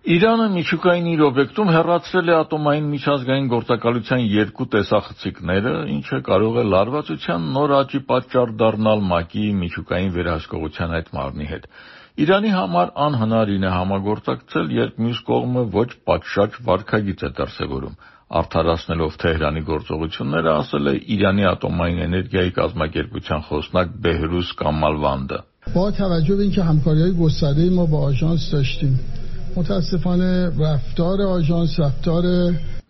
Իրանը միջուկային իր օբյեկտում հեռացրել է ատոմային միջազգային գործակալության երկու տեսախցիկները, ինչը կարող է լարվածության նոր աճի պատճառ դառնալ ՄԱԿ-ի միջուկային վերահսկողության այդ մարմնի հետ։ Իրանի համար անհնարին է համագործակցել, երբ մյուս կողմը ոչ պատշաճ վարքագիծ է դրսևորում։ Արդարացնելով Թեհրանի գործողությունները, ասել է Իրանի ատոմային էներգիայի կազմակերպության խոսնակ Բեհրուզ Կամալվանդը. با توجه به اینکه همکاری‌های گسترده‌ای ما با آژانس داشتیم متاسفانه رفتار آژانس رفتار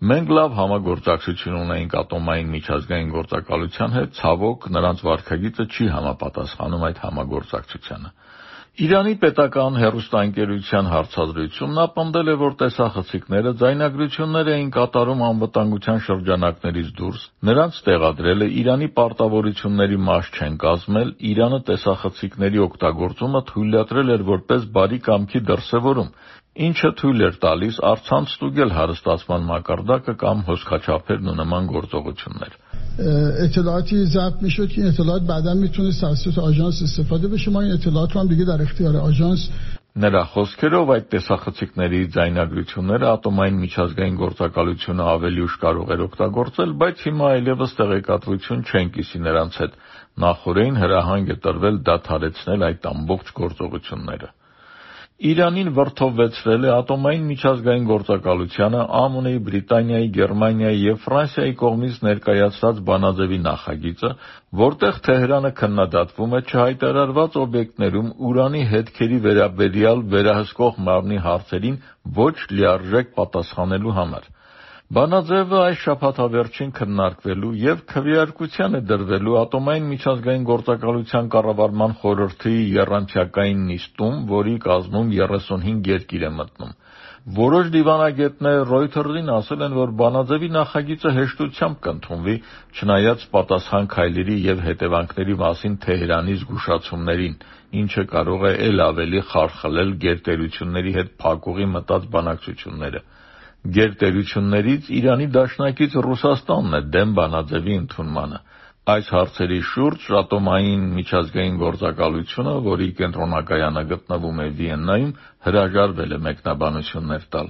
Մենք լավ համագործակցություն ունենք ատոմային միջազգային գործակալության հետ, ցավոք նրանց վարքագիծը չի համապատասխանում այդ համագործակցությանը։ Իրանի պետական հեռուստաընկերության հարցազրույցում նա պնդել է, որ տեսախցիկները ձայնագրություններ էին կատարում անվտանգության շրջանակներից դուրս, նրանց տեղադրելը Իրանի պարտավորությունների մաս չեն կազմել, Իրանը տեսախցիկների օգտագործումը թույլատրել էր որպես բարի կամքի դրսևորում, ինչը թույլ էր տալիս առցանց ստուգել հարստացման մակարդակը կամ հոսքաչափերն ու նման գործողություններ։ اطلاعاتی ضبط میشد که این اطلاعات بعدا میتونه توسط آژانس استفاده بشه ما این اطلاعات رو هم دیگه در اختیار آژانس Նրա խոսքերով այդ տեսախցիկների ձայնագրությունները ատոմային միջազգային գործակալությունը ավելի ուշ կարող էր օգտագործել, բայց հիմա այլևս տեղեկատվություն չեն կիսի նրանց հետ։ Նախօրեին հրահանգ է տրվել դադարեցնել այդ ամբողջ գործողությունները։ Իրանին վրդովվեցրել է ատոմային միջազգային գործակալությանը ԱՄՆ-ի, Բրիտանիայի, Գերմանիայի և Ֆրանսիայի կողմից ներկայացված բանաձևի նախագիծը, որտեղ Թեհրանը քննադատվում է չհայտարարված օբյեկտներում ուրանի հետքերի վերաբերյալ վերահսկող մարմնի հարցերին ոչ լիարժեք պատասխանելու համար։ Բանաձևը այս շաբաթավերջին քննարկվելու և քվեարկության է դրվելու ատոմային միջազգային գործակալության կառավարման խորհրդի եռամսյակային նիստում, որի կազմում 35 երկիր է մտնում։ Որոշ դիվանագետներ Reuters-ին ասել են, որ բանաձևի նախագիծը հեշտությամբ կընդունվի, չնայած պատասխան քայլերի և հետևանքների մասին Թեհրանի զգուշացումներին, ինչը կարող է էլ ավելի խարխլել գերտերությունների հետ փակուղի մտած բանակցությունները։ Գերտերություններից Իրանի դաշնակից Ռուսաստանն է դեմ բանաձևի ընդունմանը։ Այս հարցերի շուրջ ատոմային միջազգային գործակալությունը, որի կենտրոնակայանը գտնվում է Վիեննայում, հրաժարվել է մեկնաբանություններ տալ։